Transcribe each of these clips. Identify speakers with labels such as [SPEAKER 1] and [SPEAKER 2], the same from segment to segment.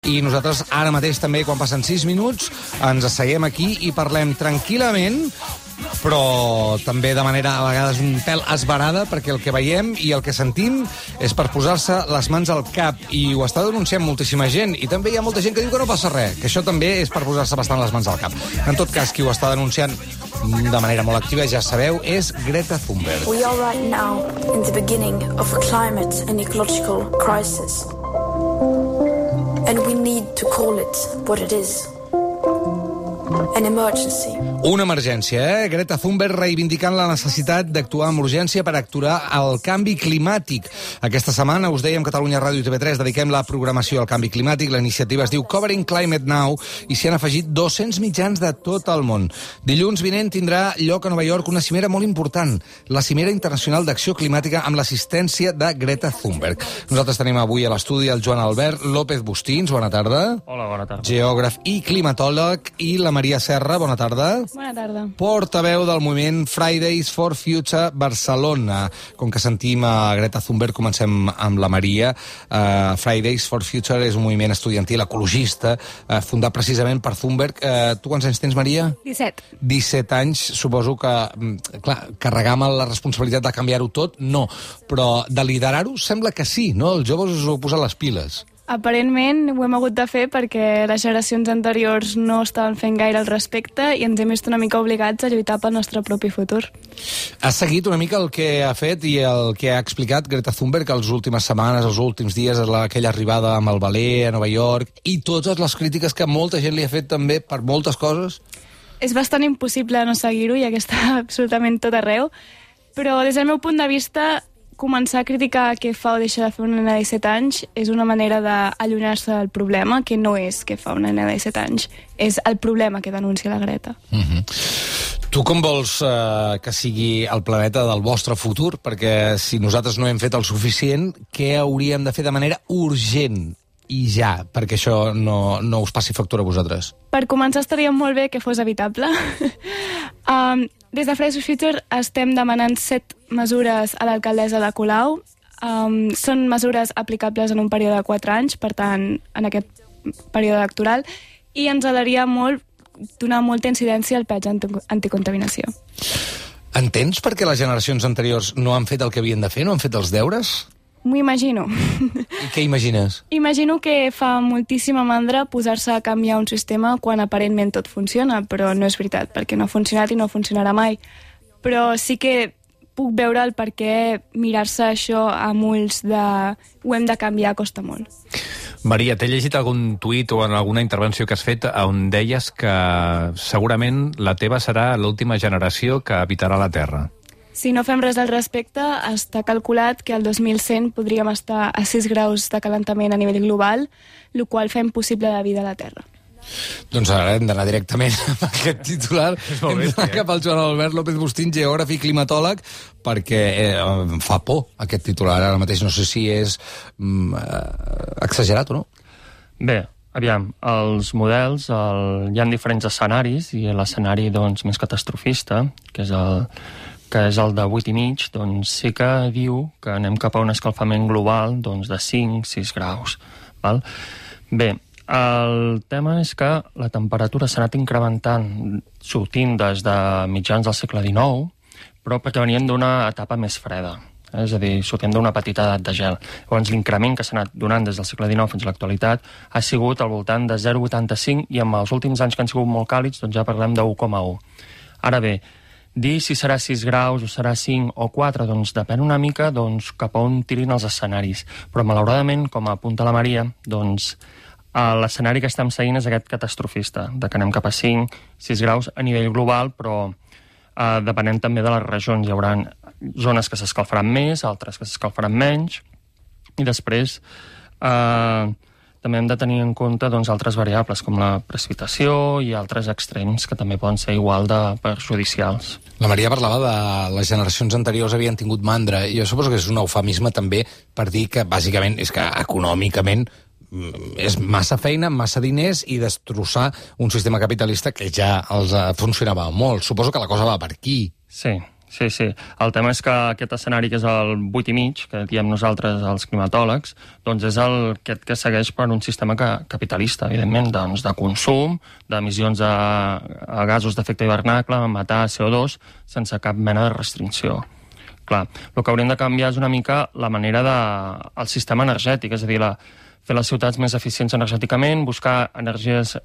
[SPEAKER 1] I nosaltres ara mateix també, quan passen 6 minuts, ens asseiem aquí i parlem tranquil·lament, però també de manera a vegades un pèl esverada, perquè el que veiem i el que sentim és per posar-se les mans al cap, i ho està denunciant moltíssima gent, i també hi ha molta gent que diu que no passa res, que això també és per posar-se bastant les mans al cap. En tot cas, qui ho està denunciant de manera molt activa, ja sabeu, és Greta Thunberg.
[SPEAKER 2] We are right now in the beginning of a climate and ecological crisis. And we need to call it what it is. An emergency.
[SPEAKER 1] Una emergència, Greta Thunberg reivindicant la necessitat d'actuar amb urgència per aturar el canvi climàtic. Aquesta setmana, us dèiem, Catalunya Ràdio i TV3 dediquem la programació al canvi climàtic. La iniciativa es diu Covering Climate Now i s'hi han afegit 200 mitjans de tot el món. Dilluns vinent tindrà lloc a Nova York una cimera molt important, la Cimera Internacional d'Acció Climàtica amb l'assistència de Greta Thunberg. Nosaltres tenim avui a l'estudi el Joan Albert López Bustins, bona tarda.
[SPEAKER 3] Hola, bona tarda.
[SPEAKER 1] Geògraf i climatòleg, i la Maria Serra, bona tarda.
[SPEAKER 4] Bona tarda.
[SPEAKER 1] Portaveu del moviment Fridays for Future Barcelona. Com que sentim a Greta Thunberg, comencem amb la Maria. Fridays for Future és un moviment estudiantil ecologista, fundat precisament per Thunberg. Tu quants anys tens, Maria?
[SPEAKER 4] 17.
[SPEAKER 1] 17 anys, suposo que, clar, carregar amb la responsabilitat de canviar-ho tot, no. Però de liderar-ho sembla que sí, no? Els joves us heu posat les piles.
[SPEAKER 4] Aparentment ho hem hagut de fer perquè les generacions anteriors no estaven fent gaire al respecte i ens hem vist una mica obligats a lluitar pel nostre propi futur.
[SPEAKER 1] Has seguit una mica el que ha fet i el que ha explicat Greta Thunberg les últimes setmanes, els últims dies, aquella arribada amb el Valer a Nova York, i totes les crítiques que molta gent li ha fet també per moltes coses?
[SPEAKER 4] És bastant impossible no seguir-ho, ja que està absolutament tot arreu, però des del meu punt de vista començar a criticar què fa o deixa de fer una nena de 17 anys és una manera d'allunyar-se del problema, que no és què fa una nena de 17 anys, és el problema que denuncia la Greta.
[SPEAKER 1] Tu com vols que sigui el planeta del vostre futur? Perquè si nosaltres no hem fet el suficient, què hauríem de fer de manera urgent i ja, perquè això no us passi factura a vosaltres?
[SPEAKER 4] Per començar, estaria molt bé que fos evitable. Des de Fridays for Future estem demanant 7 mesures a l'alcaldessa de Colau. Són mesures aplicables en un període de 4 anys, per tant, en aquest període electoral, i ens agradaria molt donar molta incidència al peatge anticontaminació.
[SPEAKER 1] Entens per què les generacions anteriors no han fet el que havien de fer, no han fet els deures?
[SPEAKER 4] M'ho imagino.
[SPEAKER 1] I què imagines?
[SPEAKER 4] Imagino que fa moltíssima mandra posar-se a canviar un sistema quan aparentment tot funciona, però no és veritat, perquè no ha funcionat i no funcionarà mai. Però sí que puc veure el per què mirar-se això amb ulls de ho hem de canviar costa molt.
[SPEAKER 3] Maria, t'he llegit algun tuit o en alguna intervenció que has fet on deies que segurament la teva serà l'última generació que habitarà la Terra.
[SPEAKER 4] Si no fem res al respecte, està calculat que al 2100 podríem estar a 6 graus de calentament a nivell global, el qual fa impossible la vida a la Terra.
[SPEAKER 1] Doncs ara hem d'anar directament amb aquest titular. Hem d'anar cap al Joan Albert López Bustín, geògraf i climatòleg, perquè fa por aquest titular. Ara mateix no sé si és exagerat o no.
[SPEAKER 5] Bé, aviam, els models, hi ha diferents escenaris, i l'escenari doncs, més catastrofista, que és el de 8,5, doncs sí que diu que anem cap a un escalfament global doncs, de 5-6 graus. Val? Bé, el tema és que la temperatura s'ha anat incrementant sortint des de mitjans del segle XIX, però perquè venien d'una etapa més freda, és a dir, sortint d'una petita edat de gel. Llavors, l'increment que s'ha anat donant des del segle XIX fins a l'actualitat ha sigut al voltant de 0,85, i amb els últims anys que han sigut molt càlids doncs ja parlem de 1,1. Ara bé, dir si serà 6 graus o serà 5 o 4, doncs depèn una mica cap a on tirin els escenaris. Però malauradament, com apunta la Maria, doncs l'escenari que estem seguint és aquest catastrofista, de que anem cap a 5-6 graus a nivell global, però depenent també de les regions. Hi haurà zones que s'escalfaran més, altres que s'escalfaran menys, i després també hem de tenir en compte doncs, altres variables, com la precipitació i altres extrems que també poden ser igual de perjudicials.
[SPEAKER 1] La Maria parlava de les generacions anteriors havien tingut mandra, i jo suposo que és un eufemisme també per dir que, bàsicament, és que econòmicament és massa feina, massa diners, i destrossar un sistema capitalista que ja els funcionava molt. Suposo que la cosa va per aquí.
[SPEAKER 5] Sí, Sí. El tema és que aquest escenari, que és el 8,5, que diem nosaltres els climatòlegs, doncs és aquest que segueix per un sistema capitalista, evidentment, doncs de consum, d'emissions a gasos d'efecte hivernacle, matar CO2, sense cap mena de restricció. Clar, el que hauríem de canviar és una mica la manera del sistema energètic, és a dir, fer les ciutats més eficients energèticament, buscar energies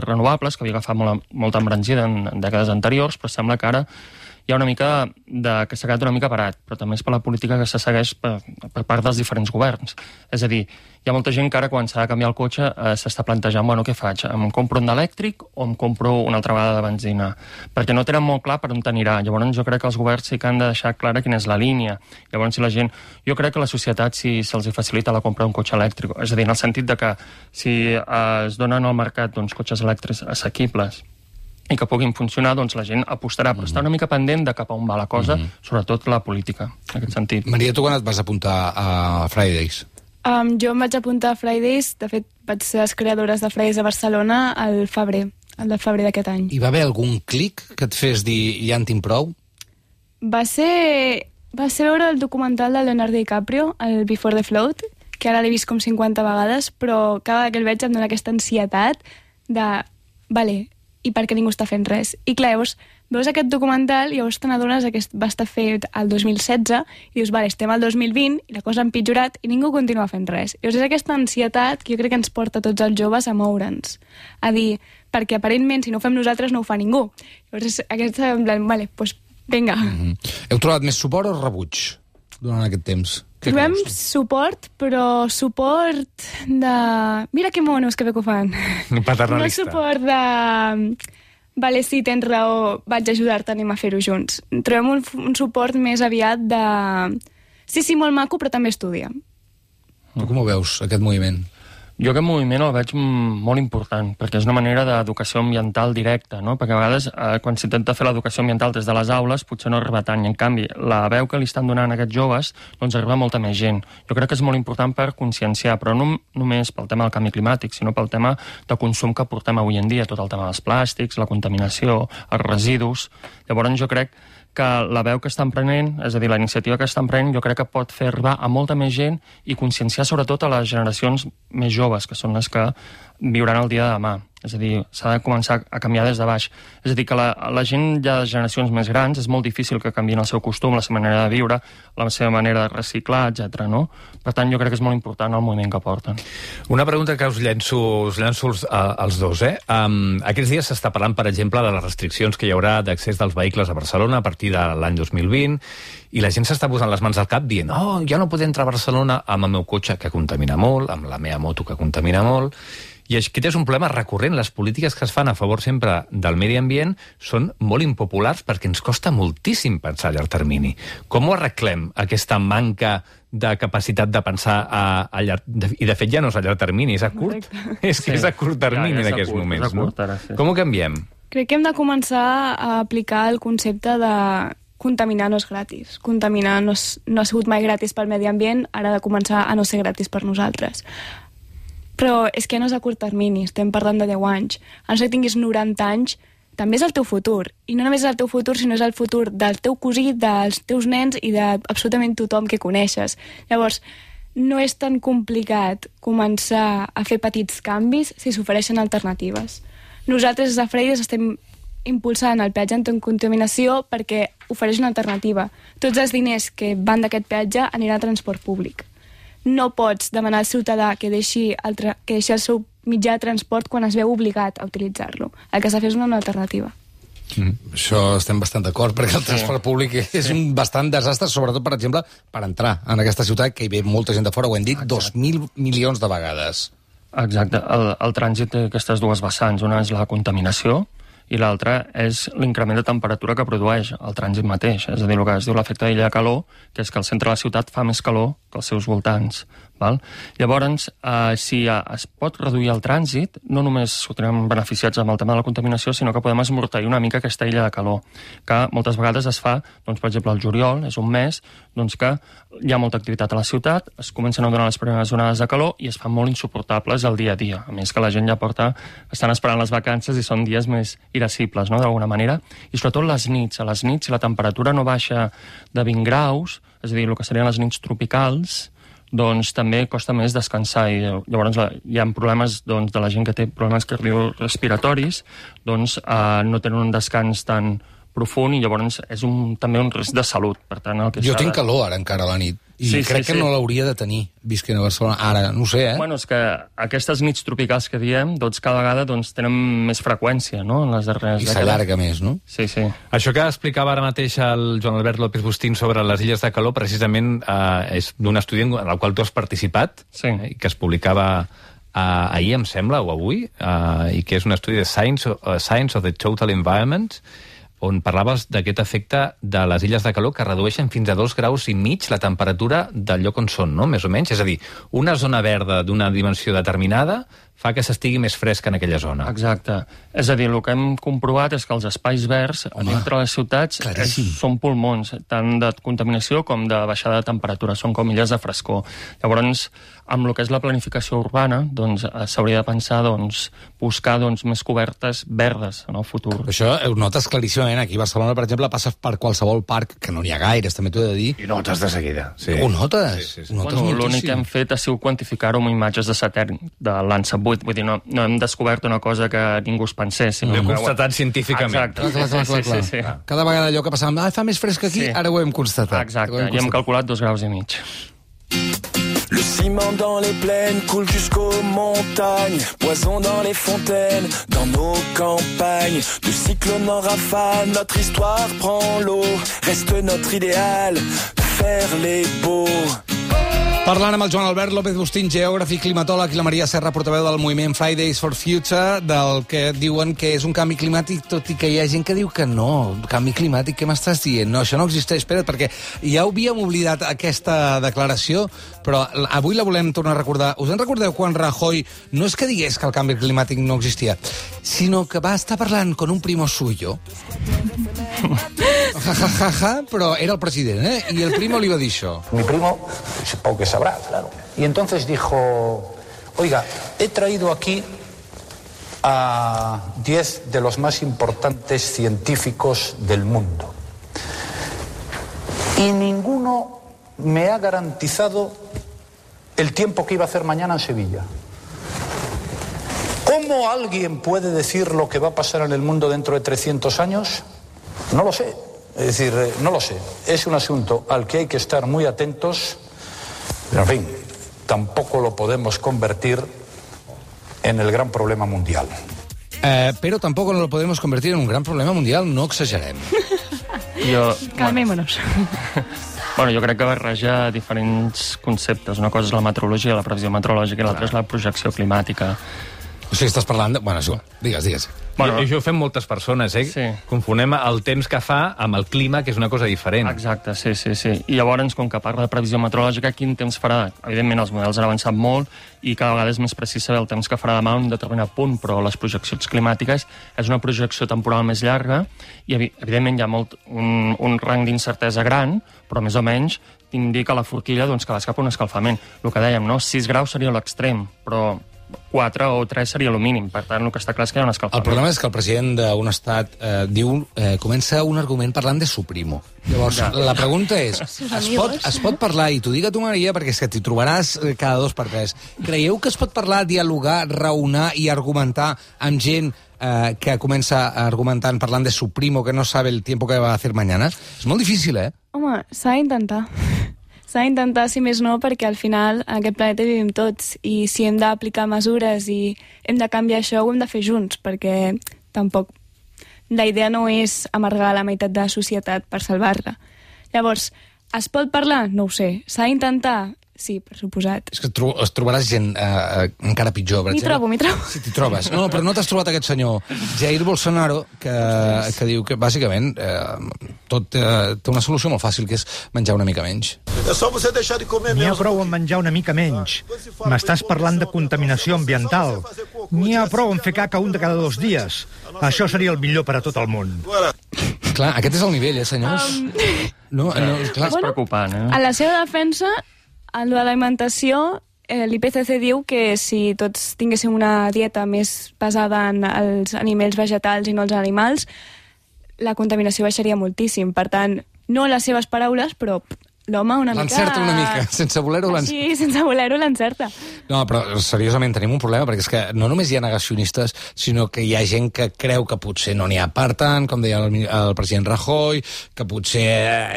[SPEAKER 5] renovables, que havia agafat molta embranzida en dècades anteriors, però sembla que ara hi ha una mica que s'ha quedat una mica parat, però també és per la política que se segueix per part dels diferents governs. És a dir, hi ha molta gent que ara, quan s'ha de canviar el cotxe, s'està plantejant, bueno, què faig? Em compro un d'elèctric o em compro una altra vegada de benzina? Perquè no tenen molt clar per on anirà. Llavors jo crec que els governs sí que han de deixar clara quina és la línia. Llavors, si la gent... Jo crec que la societat, si se'ls facilita la compra d'un cotxe elèctric, és a dir, en el sentit de que si es donen al mercat cotxes elèctrics assequibles i que puguin funcionar, doncs la gent apostarà, però està una mica pendent de cap a on va la cosa, sobretot la política, en aquest sentit.
[SPEAKER 1] Maria, tu quan et vas apuntar a Fridays?
[SPEAKER 4] Jo em vaig apuntar a Fridays, de fet vaig ser les creadores de Fridays a Barcelona el de febrer d'aquest any.
[SPEAKER 1] Hi va haver algun clic que et fes dir ja en tinc prou?
[SPEAKER 4] Va ser veure el documental de Leonardo DiCaprio, el Before the Flood, que ara l'he vist com 50 vegades, però cada vegada que el veig em dona aquesta ansietat de... Vale, i per què ningú està fent res. I clar, llavors veus aquest documental i llavors te n'adones que va estar fet el 2016 i dius, vale, estem al 2020 i la cosa ha empitjorat i ningú continua fent res. Llavors és aquesta ansietat que jo crec que ens porta tots els joves a moure'ns. A dir, perquè aparentment si no ho fem nosaltres no ho fa ningú. Llavors és aquesta, en plan, vale, doncs vinga.
[SPEAKER 1] Heu trobat més suport o rebuig durant aquest temps?
[SPEAKER 4] Trobem suport, però suport de... Mira que monos, que bé que ho fan.
[SPEAKER 3] Paternalista.
[SPEAKER 4] No suport de... Vale, sí, tens raó, vaig ajudar-te, anem a fer-ho junts. Trobem un suport més aviat de... Sí, molt maco, però també estudia.
[SPEAKER 1] Tu com ho veus, aquest moviment?
[SPEAKER 5] Jo aquest moviment el veig molt important, perquè és una manera d'educació ambiental directa, no? Perquè a vegades, quan s'intenta fer l'educació ambiental des de les aules, potser no arriba tant, i en canvi, la veu que li estan donant a aquests joves, doncs arriba molta més gent. Jo crec que és molt important per conscienciar, però no només pel tema del canvi climàtic, sinó pel tema de consum que portem avui en dia, tot el tema dels plàstics, la contaminació, els residus... Llavors jo crec que la veu que estan prenent, és a dir, la iniciativa que estan prenent, jo crec que pot fer arribar a molta més gent i conscienciar sobretot a les generacions més joves, que són les que viuran el dia de demà. És a dir, s'ha de començar a canviar des de baix. És a dir, que la gent ja de generacions més grans és molt difícil que canviïn el seu costum, la seva manera de viure, la seva manera de reciclar, etc. No? Per tant, jo crec que és molt important el moviment que porten.
[SPEAKER 3] Una pregunta que us llenço als dos. Aquests dies s'està parlant, per exemple, de les restriccions que hi haurà d'accés dels vehicles a Barcelona a partir de l'any 2020, i la gent s'està posant les mans al cap dient ja no podem entrar a Barcelona amb el meu cotxe, que contamina molt, amb la meva moto, que contamina molt. I aquest és un problema recurrent. Les polítiques que es fan a favor sempre del medi ambient són molt impopulars perquè ens costa moltíssim pensar a llarg termini. Com ho arreglem, aquesta manca de capacitat de pensar a llarg... I de fet ja no és a llarg termini, és a curt. És que és a curt termini en aquests moments, no? Com ho canviem?
[SPEAKER 4] Crec que hem de començar a aplicar el concepte de contaminar no és gratis. Contaminar no ha sigut mai gratis pel medi ambient, ara ha de començar a no ser gratis per nosaltres. Però és que no és a curt termini, estem parlant de 10 anys. A no ser que tinguis 90 anys, també és el teu futur. I no només és el teu futur, sinó és el futur del teu cosí, dels teus nens i d'absolutament tothom que coneixes. Llavors, no és tan complicat començar a fer petits canvis si s'ofereixen alternatives. Nosaltres, a Fridays, estem impulsant el peatge anticontaminació perquè ofereix una alternativa. Tots els diners que van d'aquest peatge aniran a transport públic. No pots demanar al ciutadà que deixi el seu mitjà de transport quan es veu obligat a utilitzar-lo. El que s'ha de fer és una alternativa.
[SPEAKER 1] Això estem bastant d'acord, perquè el transport públic és un bastant desastre, sobretot, per exemple, per entrar en aquesta ciutat, que hi ve molta gent de fora, ho hem dit 2.000 milions de vegades.
[SPEAKER 5] Exacte. El trànsit té aquestes dues vessants. Una és la contaminació, i l'altra és l'increment de temperatura que produeix el trànsit mateix. És a dir, el que es diu l'efecte d'illa de calor, que és que el centre de la ciutat fa més calor que els seus voltants. Val? Llavors, si es pot reduir el trànsit, no només sortirem beneficiats amb el tema de la contaminació, sinó que podem esmorteir una mica aquesta illa de calor, que moltes vegades es fa, doncs, per exemple, el juliol, és un mes doncs, que hi ha molta activitat a la ciutat, es comencen a donar les primeres onades de calor i es fan molt insuportables el dia a dia. A més que la gent ja estan esperant les vacances i són dies més irascibles, no?, d'alguna manera. I sobretot les nits. A les nits, si la temperatura no baixa de 20 graus, és a dir, el que serien les nits tropicals, doncs també costa més descansar i llavors hi ha problemes doncs, de la gent que té problemes cardiorespiratoris, doncs no tenen un descans tan profund i llavors és també un risc de salut. Per tant,
[SPEAKER 1] jo tinc calor ara encara a la nit i crec que no l'hauria de tenir visquent a Barcelona. Ara, no ho sé,
[SPEAKER 5] Bueno, és que aquestes nits tropicals que diem, doncs cada vegada tenen més freqüència, no?, en les darreres
[SPEAKER 1] dècades. I s'allarga més, no?
[SPEAKER 5] Sí.
[SPEAKER 3] Això que explicava ara mateix el Joan Albert López Bustín sobre les illes de calor, precisament és d'un estudi en el qual tu has participat, i que es publicava ahir, em sembla, o avui, i que és un estudi de Science of the Total Environment, on parlaves d'aquest efecte de les illes de calor que redueixen fins a 2,5 graus la temperatura del lloc on són, no?, més o menys. És a dir, una zona verda d'una dimensió determinada fa que s'estigui més fresc en aquella zona.
[SPEAKER 5] Exacte. És a dir, el que hem comprovat és que els espais verds dintre les ciutats són pulmons, tant de contaminació com de baixada de temperatura, són com illes de frescor. Llavors, amb el que és la planificació urbana, doncs s'hauria de pensar buscar més cobertes verdes en el futur.
[SPEAKER 1] Això ho notes claríssimament. Aquí a Barcelona, per exemple, passes per qualsevol parc, que no n'hi ha gaires, també t'ho he de dir.
[SPEAKER 3] I notes de seguida. Sí.
[SPEAKER 1] Ho notes?
[SPEAKER 5] Sí. L'únic que hem fet ha sigut quantificar-ho amb imatges de satèl·lit de Landsat 8. Vull dir, no hem descobert una cosa que ningú es pensés.
[SPEAKER 3] Ho hem constatat científicament.
[SPEAKER 5] Exacte. Sí.
[SPEAKER 1] Cada vegada allò que passàvem, fa més fresc aquí, ara ho hem constatat.
[SPEAKER 5] Exacte, i hem calculat 2,5 graus.
[SPEAKER 6] Le ciment dans les plaines coule jusqu'aux montagnes, poison dans les fontaines, dans nos campagnes, de cyclone en rafale, notre histoire prend l'eau, reste notre idéal, faire les beaux.
[SPEAKER 1] Parlant amb el Joan Albert López Bustín, geògraf i climatòleg, i la Maria Serra, portaveu del moviment Fridays for Future, del que diuen que és un canvi climàtic, tot i que hi ha gent que diu que no. Canvi climàtic, què m'estàs dient? No, això no existeix. Espera't, perquè ja havíem oblidat aquesta declaració, però avui la volem tornar a recordar. Us en recordeu quan Rajoy no és que digués que el canvi climàtic no existia, sinó que va estar parlant con un primo suyo? Però era el president, y el primo le iba a dir això.
[SPEAKER 7] Mi primo, supongo que sabrá, claro. Y entonces dijo, oiga, he traído aquí a 10 de los más importantes científicos del mundo. Y ninguno me ha garantizado el tiempo que iba a hacer mañana en Sevilla. ¿Cómo alguien puede decir lo que va a pasar en el mundo dentro de 300 años? No lo sé. Es decir, no lo sé. Es un asunto al que hay que estar muy atentos. Pero, en fin, tampoco lo podemos convertir en el gran problema mundial.
[SPEAKER 1] Pero tampoco lo podemos convertir en un gran problema mundial, no exagerem.
[SPEAKER 4] Calmémonos.
[SPEAKER 5] Bueno, jo crec que barreja diferents conceptes. Una cosa és la meteorologia, la previsió meteorològica, i l'altra és la projecció climàtica.
[SPEAKER 1] O sigui, estàs parlant de... Bueno, és igual. Digues.
[SPEAKER 3] Bueno, i això ho fem moltes persones,
[SPEAKER 5] Sí.
[SPEAKER 3] Confonem el temps que fa amb el clima, que és una cosa diferent.
[SPEAKER 5] Exacte, sí. I llavors, com que parla de previsió meteorològica, quin temps farà? Evidentment, els models han avançat molt i cada vegada és més precís saber el temps que farà demà en un determinat punt, però les projeccions climàtiques és una projecció temporal més llarga i, evidentment, hi ha un rang d'incertesa gran, però més o menys indica la forquilla que vas cap a un escalfament. El que dèiem, 6 graus seria l'extrem, però 4 o 3 seria el mínim. Per tant, el que està clar és que hi ha un escalfament.
[SPEAKER 1] El problema és que el president d'un estat comença un argument parlant de su primo. Llavors, la pregunta és, es pot parlar, i t'ho dic a tu, Maria, perquè és que t'hi trobaràs cada 2 per 3. Creieu que es pot parlar, dialogar, raonar i argumentar amb gent que comença argumentant parlant de su primo que no sabe el tiempo que va a hacer mañana? És molt difícil,
[SPEAKER 4] Home, s'ha d'intentar. S'ha d'intentar, si més no, perquè al final en aquest planeta vivim tots i si hem d'aplicar mesures i hem de canviar això, ho hem de fer junts, perquè tampoc la idea no és amargar la meitat de la societat per salvar-la. Llavors, es pot parlar? No ho sé. S'ha d'intentar? Sí, per suposat.
[SPEAKER 1] És que es trobaràs gent encara pitjor, per exemple.
[SPEAKER 4] M'hi trobo.
[SPEAKER 1] Sí, t'hi trobes. No, però no t'has trobat aquest senyor Jair Bolsonaro, que diu que, bàsicament, tot té una solució molt fàcil, que és menjar una mica menys.
[SPEAKER 8] N'hi ha prou en menjar una mica menys. M'estàs parlant de contaminació ambiental. N'hi ha prou en fer caca un de cada 2 dies. Això seria el millor per a tot el món.
[SPEAKER 1] Clar, aquest és el nivell, senyors? No, clar.
[SPEAKER 5] És preocupant,
[SPEAKER 4] A la seva defensa, en l'alimentació, l'IPCC diu que si tots tinguéssim una dieta més basada en els aliments vegetals i no els animals, la contaminació baixaria moltíssim. Per tant, no les seves paraules, però l'home una mica...
[SPEAKER 1] L'encerta una mica, sense voler-ho l'encerta.
[SPEAKER 4] Sí, sense voler-ho l'encerta.
[SPEAKER 1] No, però seriosament tenim un problema, perquè és que no només hi ha negacionistes, sinó que hi ha gent que creu que potser no n'hi ha per tant, com deia el president Rajoy, que potser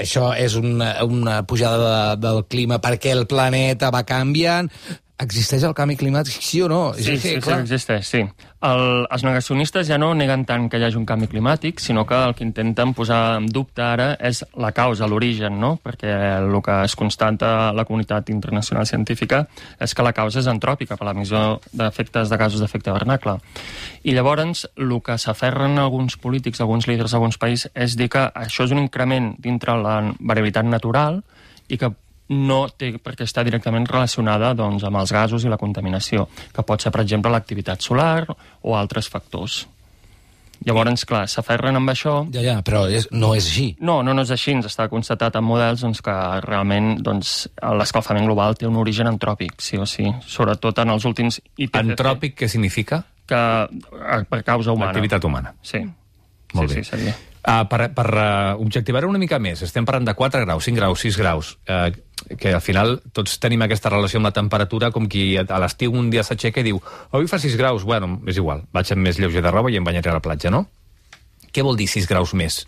[SPEAKER 1] això és una pujada del clima perquè el planeta va canviant. Existeix el canvi climàtic, sí o no?
[SPEAKER 5] Sí, existeix, sí. Els negacionistes ja no neguen tant que hi hagi un canvi climàtic, sinó que el que intenten posar en dubte ara és la causa, l'origen, no? Perquè el que es constata a la comunitat internacional científica és que la causa és antròpica per l'emissió d'efectes de gasos d'efecte hivernacle. I llavors, el que s'aferren alguns polítics, alguns líders d'alguns països, és dir que això és un increment dintre la variabilitat natural i que no té per què estar directament relacionada doncs, amb els gasos i la contaminació, que pot ser, per exemple, l'activitat solar o altres factors. Llavors, clar, s'aferren amb això...
[SPEAKER 1] Ja, però no és així.
[SPEAKER 5] No és així. Ens està constatat en models doncs, que realment doncs, l'escalfament global té un origen antròpic, sí o sí. Sobretot en els últims IPCC.
[SPEAKER 3] Antròpic, què significa?
[SPEAKER 5] Que per causa humana.
[SPEAKER 3] L'activitat humana.
[SPEAKER 5] Sí.
[SPEAKER 3] Molt bé.
[SPEAKER 5] Sí, seria.
[SPEAKER 3] Per objectivar-ho una mica més, estem parlant de 4 graus, 5 graus, 6 graus, que al final tots tenim aquesta relació amb la temperatura, com qui a l'estiu un dia s'aixeca i diu avui fa 6 graus, bueno, és igual, vaig amb més lleuger de roba i em banyaré a la platja, no? Què vol dir 6 graus més?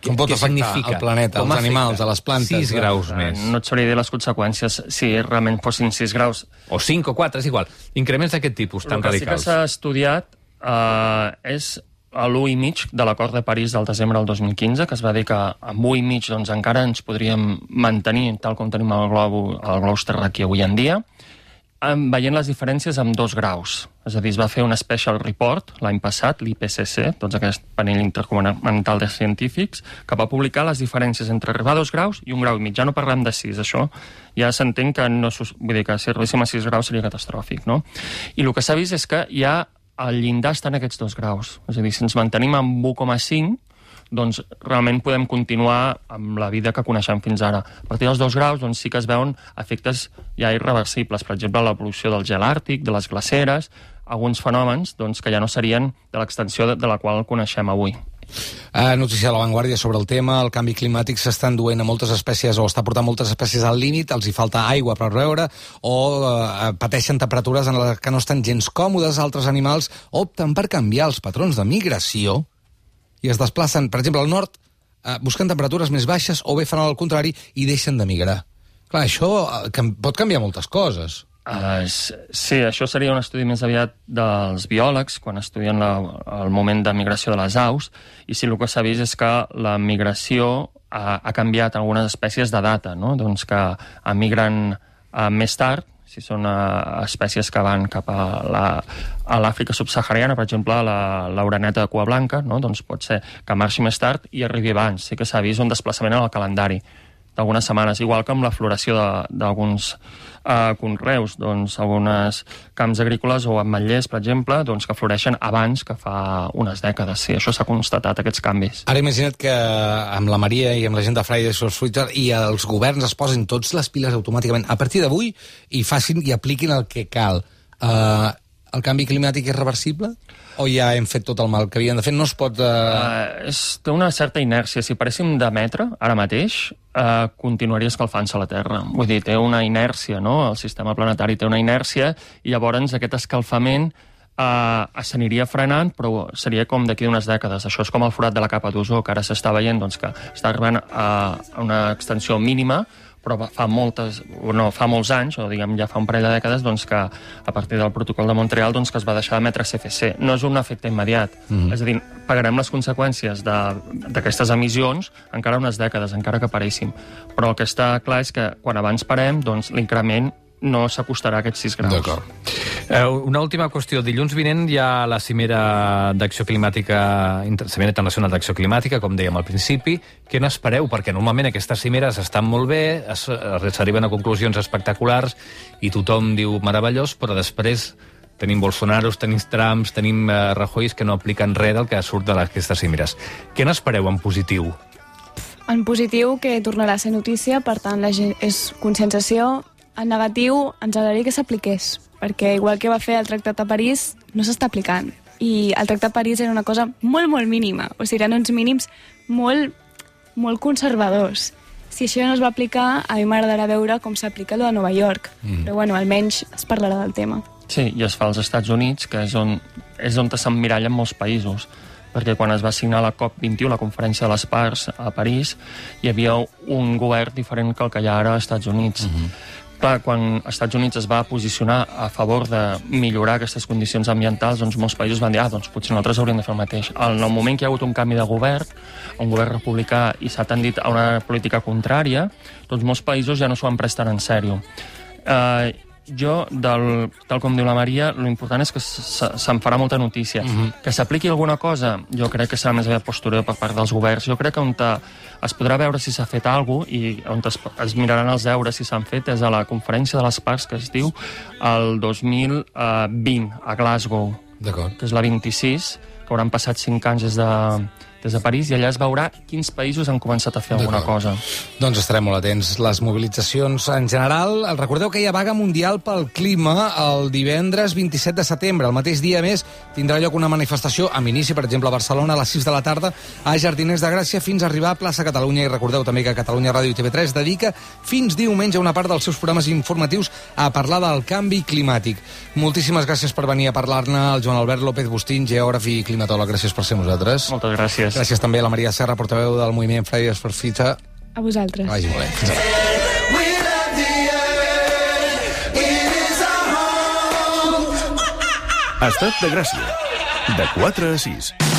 [SPEAKER 1] Com pot afectar el planeta, els animals, a les plantes?
[SPEAKER 3] 6 graus més.
[SPEAKER 5] No et sabria dir les conseqüències si realment fossin 6 graus.
[SPEAKER 3] O 5 o 4, és igual. Increments d'aquest tipus tan radicals.
[SPEAKER 5] El que sí que s'ha estudiat és a l'1,5 de l'acord de París del desembre del 2015, que es va dir que amb 1,5 doncs, encara ens podríem mantenir tal com tenim el globus terraqüi avui en dia, veient les diferències amb 2 graus. És a dir, es va fer un special report l'any passat, l'IPCC, doncs aquest panell intergovernamental de científics, que va publicar les diferències entre arribar a 2 graus i 1,5 graus. Ja no parlem de 6, això ja s'entén que no... Vull dir que si arribéssim a 6 graus seria catastròfic, no? I el que s'ha vist és que ja el llindar està en aquests 2 graus. És a dir, si ens mantenim amb 1,5, doncs realment podem continuar amb la vida que coneixem fins ara. A partir dels 2 graus doncs, sí que es veuen efectes ja irreversibles. Per exemple, la pol·lució del gel àrtic, de les glaceres, alguns fenòmens doncs, que ja no serien de l'extensió de la qual coneixem avui.
[SPEAKER 1] Notícia de La Vanguardia sobre el tema. El canvi climàtic s'està enduent a moltes espècies o està portant moltes espècies al límit, els hi falta aigua per beure o pateixen temperatures en les que no estan gens còmodes. Altres animals opten per canviar els patrons de migració i es desplacen, per exemple, al nord, buscant temperatures més baixes o bé fan el contrari i deixen de migrar. Clar, això pot canviar moltes coses.
[SPEAKER 5] Sí, això seria un estudi més aviat dels biòlegs quan estudien el moment de migració de les aus, i sí, el que s'ha vist és que la migració ha canviat algunes espècies de data, no? Doncs que emigren més tard, si són espècies que van cap a l'Àfrica subsahariana, per exemple, l'oreneta de cua blanca, no? Doncs pot ser que marxi més tard i arribi abans. Sí que s'ha vist un desplaçament en el calendari d'algunes setmanes, igual que amb la floració d'alguns conreus, doncs alguns camps agrícoles o ametllers, per exemple, doncs, que floreixen abans que fa unes dècades. Sí, això s'ha constatat, aquests canvis.
[SPEAKER 1] Ara imagina't que amb la Maria i amb la gent de Fridays for Future i els governs es posin tots les piles automàticament a partir d'avui i facin i apliquin el que cal. El canvi climàtic és reversible? O ja hem fet tot el mal que havien de fer? No es pot...
[SPEAKER 5] Té una certa inèrcia. Si paréssim d'emetre, ara mateix, continuaria escalfant-se la Terra. Vull dir, té una inèrcia, no? El sistema planetari té una inèrcia i llavors aquest escalfament s'aniria frenant, però seria com d'aquí d'unes dècades. Això és com el forat de la capa d'ozó, que ara s'està veient doncs, que està arribant a una extensió mínima, però fa molts anys, o diguem ja fa un parell de dècades, doncs, que a partir del protocol de Montreal doncs, que es va deixar d'emetre CFC. No és un efecte immediat. És a dir, pagarem les conseqüències d'aquestes emissions encara unes dècades, encara que paressin. Però el que està clar és que quan abans parem, doncs, l'increment no s'acostarà a aquests 6 graus.
[SPEAKER 1] D'acord.
[SPEAKER 3] Una última qüestió. Dilluns vinent hi ha la cimera d'acció climàtica, Cimera Internacional d'Acció Climàtica, com dèiem al principi. Què n'espereu? Perquè normalment aquestes cimeres estan molt bé, s'arriben a conclusions espectaculars i tothom diu meravellós, però després tenim Bolsonaros, tenim Trumps, tenim Rajoy que no apliquen res del que surt d'aquestes cimeres. Què n'espereu en positiu?
[SPEAKER 4] En positiu, que tornarà a ser notícia, per tant, és conscienciació. En negatiu, ens agradaria que s'apliqués, perquè igual que va fer el Tractat de París, no s'està aplicant. I el Tractat de París era una cosa molt, molt mínima. O sigui, eren uns mínims molt, molt conservadors. Si això no es va aplicar, a mi m'agradarà veure com s'aplica allò de Nova York. Però, bueno, almenys es parlarà del tema.
[SPEAKER 5] Sí, i es fa als Estats Units, que és on s'emmirallen molts països. Perquè quan es va signar la COP21, la Conferència de les Parts, a París, hi havia un govern diferent que el que hi ha ara als Estats Units. Clar, quan els Estats Units es va posicionar a favor de millorar aquestes condicions ambientals, doncs molts països van dir, doncs potser nosaltres hauríem de fer el mateix. En el moment que hi ha hagut un canvi de govern, un govern republicà, i s'ha tendit a una política contrària, doncs molts països ja no s'ho van prestar en sèrio. Tal com diu la Maria, l'important és que se'n farà molta notícia. Que s'apliqui alguna cosa, jo crec que serà més aviat postureo per part dels governs. Jo crec que on es podrà veure si s'ha fet alguna cosa i on es miraran els deures si s'han fet és a la conferència de les parts que es diu el 2020 a Glasgow, que és la 26, que hauran passat 5 anys des de París, i allà es veurà quins països han començat a fer alguna cosa.
[SPEAKER 1] Doncs estarem molt atents. Les mobilitzacions en general. Recordeu que hi ha vaga mundial pel clima el divendres 27 de setembre. El mateix dia, més, tindrà lloc una manifestació amb inici, per exemple, a Barcelona, a les 6 de la tarda, a Jardiners de Gràcia, fins a arribar a plaça Catalunya. I recordeu també que Catalunya Ràdio i TV3 dedica fins diumenge una part dels seus programes informatius a parlar del canvi climàtic. Moltíssimes gràcies per venir a parlar-ne, el Joan Albert López Bustín, geògraf i climatòleg. Gràcies per ser amb nosaltres.
[SPEAKER 5] Moltes gràcies.
[SPEAKER 1] Gràcies també a la Maria Serra, portaveu del moviment Fridays for Future.
[SPEAKER 4] A vosaltres.
[SPEAKER 1] Vagi molt bé.
[SPEAKER 9] Estat de Gràcia, de 4 a 6.